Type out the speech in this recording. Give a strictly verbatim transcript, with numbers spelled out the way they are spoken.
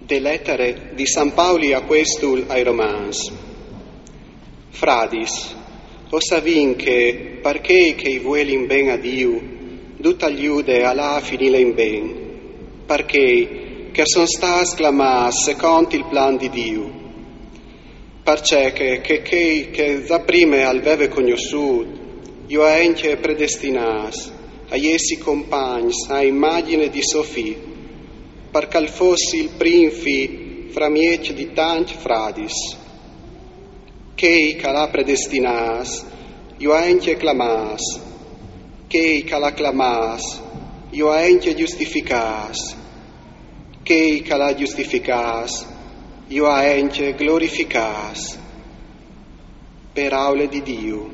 De letare di San Pauli apuestul ai Romans. Fradis, o savìn che par chei che i vuelin ben a Diu, dut al jude al à a finila in ben, par chei che a son stâts clamâts secont il plan di Diu. Parcè che, che chei che za prime al veve cognossût, ju à encje predestinâts a jessi compagns a imagjine di so Fi, par che al fossi il prin Fi framieç di tancj fradis. Chei che al à predestinâts, ju à encje clamâts. Chei che al à clamâts, ju à encje justificâts. Chei che al à justificâts, ju à encje glorificâts. Peraule di Diu.